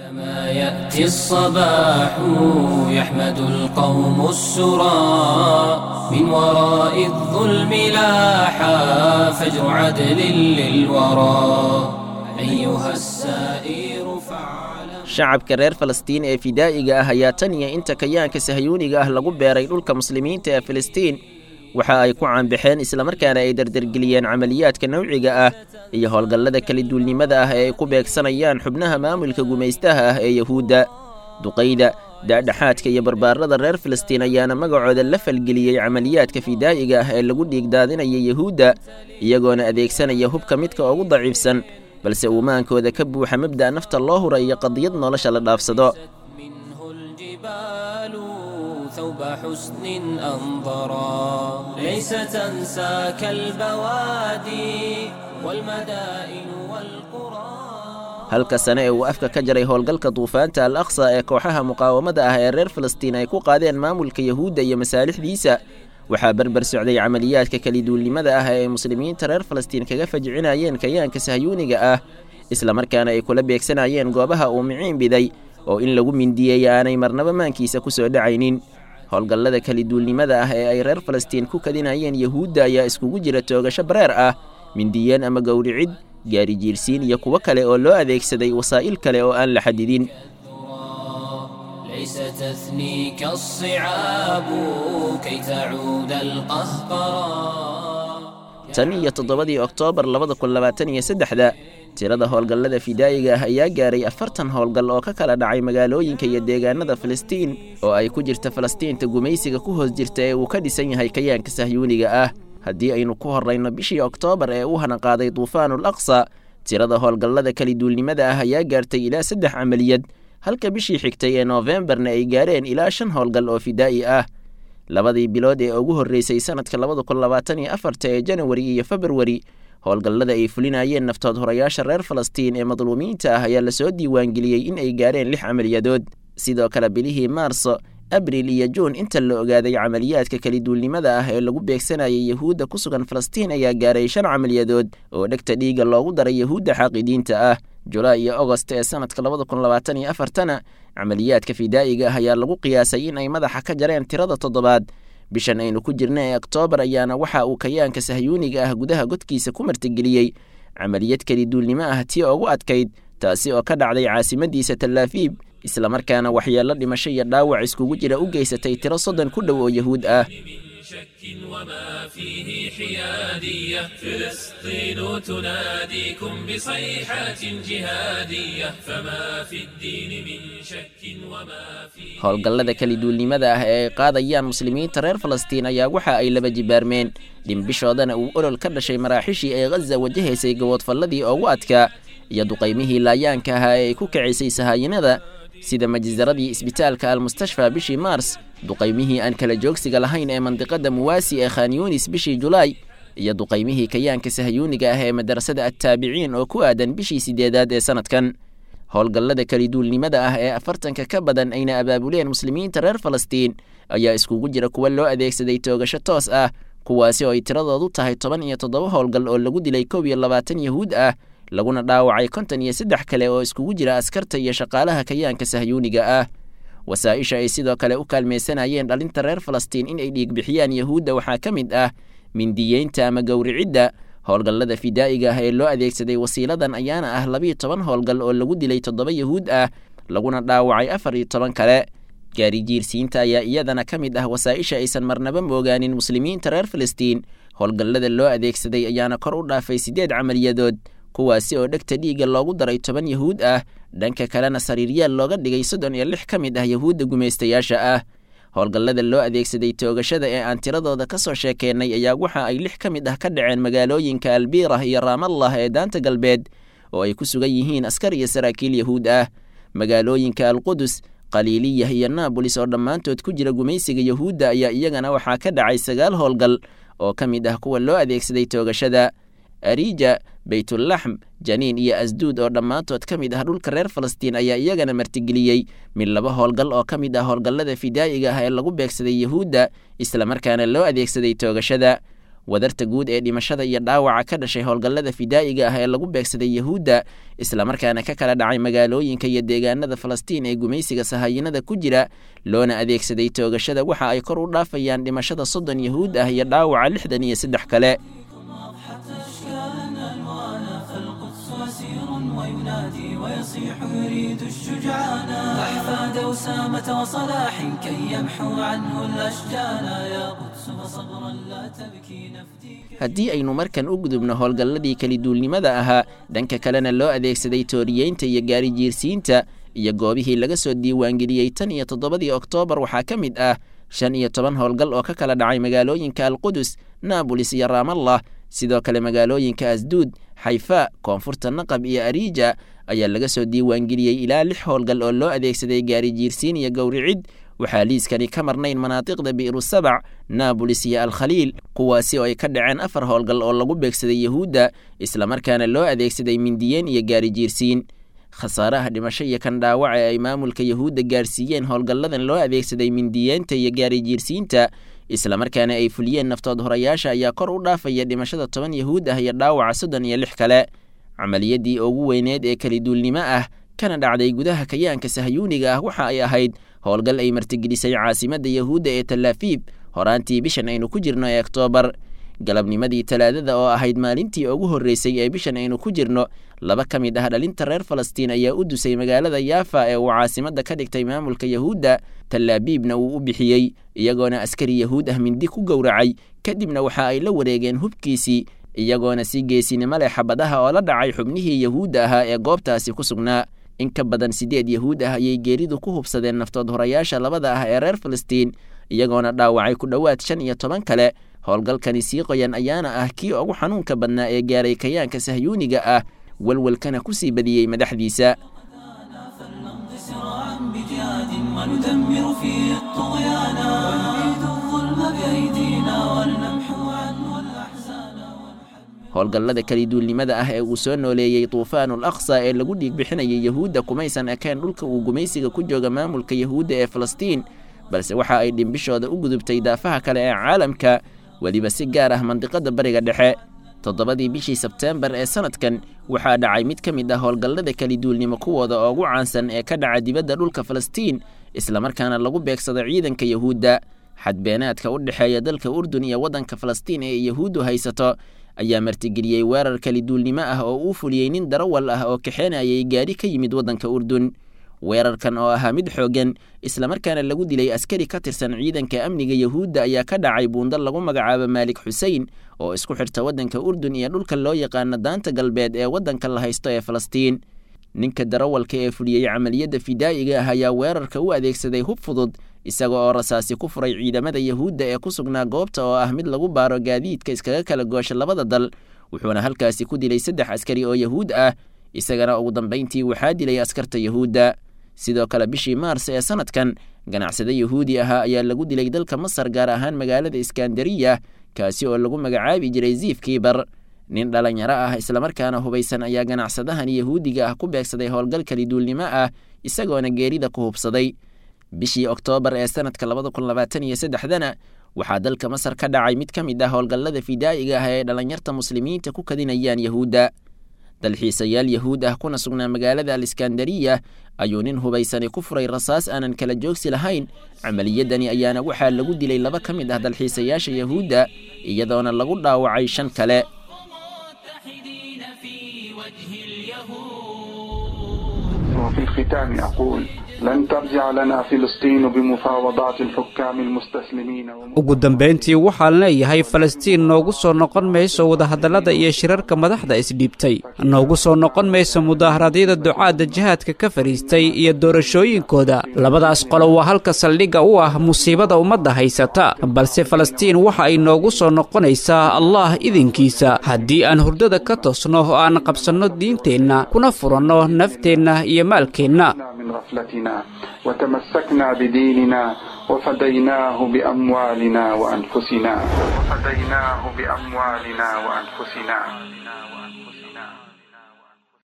عندما يأتي الصباح يحمد القوم السرى من وراء الظلم لاحا فجر عدل للورى أيها السائر فاعلم. Shacabka reer Falastiin ee fidaa'iga ah ayaa tan iyo inta kayaanka sahyuuniga ah lagu beeray dhulka muslimiinta ee Filistiin waxa ay ku caanbaxeen islamarkaana ay dardargeliyeen camaliyaadka nawciga ah iyo howlgallada kala duulnimada ah ee ay ku beegsanayaan xubnaha maamulka gumaystaha ah ee Yahuudda. Duqayda, daadhaxaadka iyo barbaarada reer Filistiin ayaana magacooda la falgeliyey camaliyaadka fidaa'iga ah ee lagu dhiigdaadinaya Yahuudda, iyagoona adeegsanaya hubka midka ugu daciifsan, balse uumaankooda ka buuxa mabda' nafta loo hura iyo qadiyad nolosha la dhaafsado. منه الجبال ثوب حسن أنظرا ليس تنساك البوادي والمدائن والقرى. Halka sane ee uu afka ka jaray howlgalka duufaanta Al Aqsa ee kooxaha muqaawamada ah ee reer Filistiin ay ku qaadeen maamulka Yahuudda iyo masaalixdiisa, waxaa berber socday camaliyaadka kaliduulnimada ah ee ay muslimiinta reer Falastiin kaga fajcinayeen kayaanka sahyuuniga ah, islamarkaana ay kula beegsanayeen goobaha uu miciin biday oo in lagu mindiyeeya aanay marnaba maankiisa ku soo dhacaynin. Howlgallada kaliduulnimada ah ee ay reer Falastiin ku kadinayeen Yahuudda ayaa iskugu jira toogasho bareer ah, mindiyeen ama gowricid, gaari jiirsiin iyo kuwo kale oo loo adeegsaday wasaa'il kale oo aan la xadidin. ليس تثنيك الصعاب كي تعود القهقرى. Tan iyo 7-dii Oktoobar 2023-da, tirada howlgallada fidaa'iga ah ayaa gaaray 40 howlgal oo ka kala dhacay magaalooyinka iyo deegaanada Filistiin, oo ay ku jirta Falastiinta gumaysiga ku hoos jirta ee uu ka dhisan yahay kayaanka sahyuuniga ah. Haddii aynu ku horrayno bishii Oktoobar ee uu hanaqaaday duufaanul Aqsa, tirada howlgallada kaliduulnimada ah ayaa gaartay ilaa 3 camaliyad, halka bishii xigtay ee Noofembarna ay gaareen ilaa 5 howlgal oo fidaa'i ah. Labadii bilood ee ugu horreysay sanadka 2024-ta ee Janawari iyo Februari, howlgallada ay fulinayeen naftood horayaasha reer Falastiin ee madluumiinta ah ayaa lasoo diiwaangeliyey in ay gaareen 6 camaliyadood. Sidoo kale bilihii Maarso, Abriil iyo Juun inta la ogaaday camaliyaadka kaliduulnimada ah ee lagu beegsanayay Yahuudda ku sugan Falastiin ayaa gaaray 5 camaliyadood oo dhegta dhiigga loogu daray Yahuudda xaaqidiinta ah. Julaay iyo Ogost ee sanadka 2024-tana camaliyaadka fidaa'iga ah ayaa lagu qiyaasay in ay madaxa ka jareen tirada 7aad. Bishan aynu ku jirna ee Oktoobar ayaana waxa uu kayaanka sahyuuniga ah gudaha godkiisa ku martigeliyey camaliyad kaliduulnimo ah tii ugu adkayd, taasi oo ka dhacday caasimadiisa Talaafiib, islamarkaana waxyeello dhimasho iyo dhaawac iskugu jira u geysatay tiro 30 ku dhow oo Yahuud ah. شك وما فيه حيادية فلسطين تناديكم بصيحات جهادية فما في الدين من شك وما فيه Howlgallada kaliduulnimada ah ee ay qaadayaan muslimiinta reer Falastiin ayaa waxa ay laba jibaarmeen, dhimbishoodana uu olol ka dhashay maraaxishii ay Ghaza wajahaysay gaboodfalladii ugu adkaa iyo duqaymihii laayaanka ahaa ee ay ku kicisay sahaayinada, sida majzaradii isbitaalka Almustashfa bishii Maars, duqaymihii aan kala joogsiga lahayn ee mandiqada Muwaasi ee Khan Yunis bishii Julaay, iyo duqaymihii kayaanka sahyuuniga ah ee madarasada Attaabiciin oo ku aadan bishii 8aad ee sanadkan. Howlgallada kaliduulnimada ah ee 40-ka ka badan ayna abaabuleen muslimiinta reer Falastiin ayaa iskugu jira kuwa loo adeegsaday toogasho toos ah, kuwaasi oo ay tiradoodu tahay 17 howlgal oo lagu dilay 21 Yahuud ah, laguna dhaawacay 53 kale oo iskugu jira askarta iyo shaqaalaha kayaanka sahyuuniga ah. Wasaa'isha ay sidoo kale u kaalmaysanayeen dhalinta reer Falastiin in ay dhiig bixiyaan Yahuudda waxaa ka mid ah mindiyeynta ama gowricidda. Howlgallada fidaa'iga ah ee loo adeegsaday wasiiladan ayaana ah 12 howlgal oo lagu dilay 7 Yahuud ah, laguna dhaawacay 14 kale. Gaari jiirsiinta ayaa iyadana ka mid ah wasaa'isha aysan marnaba moogaanin muslimiinta reer Filistiin. Howlgallada loo adeegsaday ayaana kor u dhaafay 8 camaliyadood, kuwaasi oo dhegta dhiigga loogu daray 10 Yahuud ah, dhanka kalena sariiryaal looga dhigay 36 ka mid ah Yahuudda gumaystayaasha ah. Howlgallada loo adeegsaday toogashada ee aan tiradooda ka soo sheekeennay ayaa waxa ay 6 ka mid ah ka dhaceen magaalooyinka Albiirah iyo Raamallah ee daanta galbeed, oo ay ku sugan yihiin askar iyo saraakiil Yahuud ah. Magaalooyinka Alqudus, Qaliiliyah iyo Naabolis oo dhammaantood ku jira gumaysiga Yahuudda ayaa iyagana waxaa ka dhacay 9 howlgal oo ka mid ah kuwa loo adeegsaday toogashada. Ariija, Baytulaxm, Janiin iyo Asduud oo dhammaantood ka mid ah dhulka reer Falastiin ayaa iyagana martigeliyey mid 2 howlgal oo ka mid ah howlgallada fidaa'iga ah ee lagu beegsaday Yahuudda, islamarkaana loo adeegsaday toogashada. Wadarta guud ee dhimashada iyo dhaawaca ka dhashay howlgallada fidaa'iga ah ee lagu beegsaday Yahuudda, islamarkaana ka kala dhacay magaalooyinka iyo deegaanada Falastiin ee gumaysiga sahaayinada ku jira, loona adeegsaday toogashada, waxa ay kor u dhaafayaan dhimashada 30 Yahuud ah iyo dhaawaca 63 kale. وينادي ويصيح يريد الشجعان أحفاد أسامة وصلاح كي يمحو عنه الأشجان يا قدس فصبرا لا تبكي نفديك. Haddii aynu markan u gudubno howlgalladii keliduulnimada ahaa, dhanka kalena loo adeegsaday tooriyeynta iyo gaari jiirsiinta iyo goobihii laga soo diiwaangeliyey tan iyo 7dii Oktoobar, waxaa ka mid ah 15 howlgal oo ka kala dhacay magaalooyinka Alqudus, Naabulis iyo Raamallah. Sidoo kale magaalooyinka Asduud, Xayfa, koonfurta Naqab iyo Ariija ayaa laga soo diiwaangeliyey ilaa 6 howlgal oo loo adeegsaday gaari jiirsiin iyo gowricid. Waxaa liiskani ka marnayn manaatiqda Bi'ru Sabac, Naabulis iyo Alkhaliil, kuwaasi oo ay ka dhaceen 4 howlgal oo lagu beegsaday Yahuudda, islamarkaana loo adeegsaday mindiyeen iyo gaari jiirsiin. Khasaaraha dhimasho iyo kan dhaawaca ee ay maamulka Yahuudda gaarsiiyeen howlgalladan loo adeegsaday mindiyeenta iyo gaari jiirsiinta, islamarkaana ay fuliyeen naftood horayaasha, ayaa kor u dhaafaya dhimashada 10 Yahuud ah iyo dhaawaca 36 kale. Camaliyadii ugu weyneed ee keliduulnimo ah kana dhacday gudaha kayaanka sahyuuniga ah waxa ay ahayd howlgal ay martigelisay caasimadda Yahuudda ee Talaafiib horaantii bishan aynu ku jirno ee Oktoobar. Galabnimadii Talaadada oo ahayd maalintii ugu horreysay ee bishan aynu ku jirno, laba ka mid ah dhalinta reer Falastiin ayaa u dusay magaalada Yaafa ee uu caasimadda ka dhigtay maamulka Yahuudda, Talaabiibna uu u bixiyey, iyagoona askari Yahuud ah mindi ku gowracay. Kadibna waxa ay la wareegeen hubkiisii, iyagoona si geesinimo leh xabadaha oo la dhacay xubnihii Yahuudda ahaa ee goobtaasi ku sugnaa. In ka badan 8 Yahuud ah ayay geeridu ku hubsadeen naftood horayaasha labada ah ee reer Falastiin, iyagoona dhaawacay ku dhowaad 15 kale. Howlgalkani sii qoyan ayaana ah kii ugu xanuunka badnaa ee gaaray kayaanka sahyuuniga ah, walwalkana ku sii badiyey madaxdiisa. فلنمضي سراعا بجهاد وندمر فيه الطغيان ونبيد الظلم بأيدينا ولنمحو عنه الأحزان. Howlgallada keliduulnimada ah ee uu soo nooleeyey Tuufaanul Aqsa ee lagu dhiig bixinayay Yahuudda kumaysan ekeen dhulka uu gumaysiga ku jooga maamulka Yahuudda ee Falastiin, balse waxa ay dhimbishooda u gudubtay daafaha kale ee caalamka, weliba si gaar ah mandiqada Bariga Dhexe. 7dii bishii Sebteembar ee sanadkan waxaa dhacay mid ka mid ah howlgallada keliduulnimo kuwooda ugu caansan ee ka dhaca dibadda dhulka Falastiin, islamarkaana lagu beegsado ciidanka Yahuudda. Xadbeenaadka u dhexeeya dalka Urdun iyo waddanka Falastiin ee Yahuuddu haysato ayaa martigeliyey weerar keliduulnimo ah oo uu fuliyey nin darawal ah oo kaxeenayay gaadhi ka yimid waddanka Urdun. Weerarkan oo ahaa mid xooggan, islamarkaana lagu dilay askari ka tirsan ciidanka amniga Yahuudda, ayaa ka dhacay buundo lagu magacaabo Maalik Xusein oo isku xirta waddanka Urdun iyo dhulka loo yaqaano Daanta Galbeed ee waddanka la haysto ee Falastiin. Ninka darawalka ee fuliyey camaliyadda fidaa'iga ah ayaa weerarka u adeegsaday hub fudud, isaga oo rasaasi ku furay ciidamada Yahuudda ee ku sugnaa goobta oo ah mid lagu baaro gaadiidka iskaga kala goosha labada dal, wuxuuna halkaasi ku dilay 3 askari oo Yahuud ah, isagana ugu dambayntii waxaa dilay askarta Yahuudda. Sidoo kale bishii Maars ee sanadkan, ganacsade Yahuudi ahaa ayaa lagu dilay dalka Masar, gaar ahaan magaalada Iskandariya, kaasi oo lagu magacaabi jiray Ziif Kiibar. Nin dhalinyaro ah islamarkaana hubaysan ayaa ganacsadahan Yahuudiga ah ku beegsaday howlgal keliduulnimo ah, isagoona geerida ku hubsaday. Bishii Oktoobar ee sanadka 2023dana waxaa dalka Masar ka dhacay mid ka mid ah howlgallada fidaa'iga ah ee dhalinyarta muslimiinta ku kadinayaan Yahuudda. Dalxiisayaal Yahuud ah kuna sugnaa magaalada Aliskandariya ayuu nin hubaysani ku furay rasaas aanan kala joogsi lahayn. Camaliyadani ayaana waxaa lagu dilay 2 ka mid ah dalxiisayaasha Yahuudda, iyadoona lagu dhaawacay 5 kale. متحدين في وجه اليهود. وفي الختام أقول لن ترجع لنا فلسطين بمفاوضات الحكام المستسلمين. Ugu dambayntii waxaan leeyahay, Falastiin noogu soo noqon mayso wadahadallada iyo shirarka madaxda isdhiibtay, noogu soo noqon mayso mudaaharaadyada ducaadda jihaadka ka fadhiistay iyo doorashooyinkooda. Labadaas qolo waa halka saldhigga u ah musiibada ummadda haysata, balse Falastiin waxa ay noogu soo noqonaysaa Allah idinkiisa haddii aan hurdada ka toosno oo aan qabsanno diinteenna kuna furanno nafteenna iyo maalkeenna. من غفلتنا وتمسكنا بديننا وفديناه بأموالنا وأنفسنا، وفديناه بأموالنا وأنفسنا.